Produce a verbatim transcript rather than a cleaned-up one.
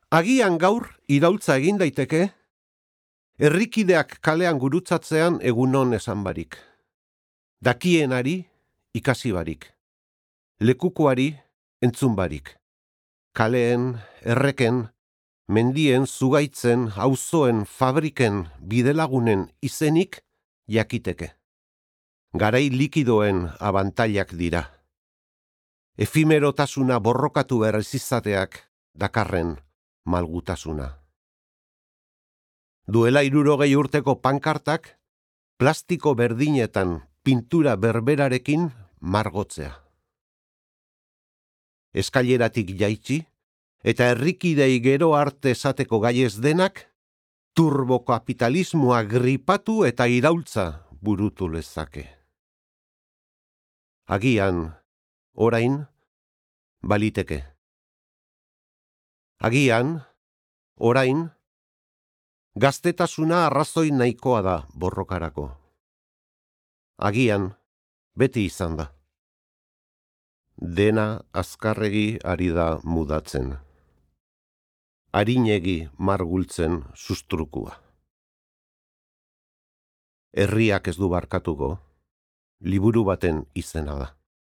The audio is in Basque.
Agian gaur iraultza egin daiteke, herrikideak kalean gurutzatzean egunon esan barik. Dakienari ikasi barik. Lekukoari entzun barik. Kaleen, erreken, mendien, zugaitzen, auzoen, fabriken, bidelagunen izenik jakiteke. Garai likidoen abantailak dira. Efimerotasuna borrokatu berriz izateak dakarren malgutasuna. Duela hirurogei urteko pankartak plastiko berdinetan pintura berberarekin margotzea. Eskaileratik jaitsi eta herrikidei gero arte esateko gai ez denak turbokapitalismoa gripatu eta iraultza burutu lezake. Agian, orain, baliteke. Agian, orain, gaztetasuna arrazoi nahikoa da borrokarako. Agian, beti izan da. Dena azkarregi ari da mudatzen. Arinegi margultzen sustrukua. Herriak ez du barkatuko, liburu baten izena da.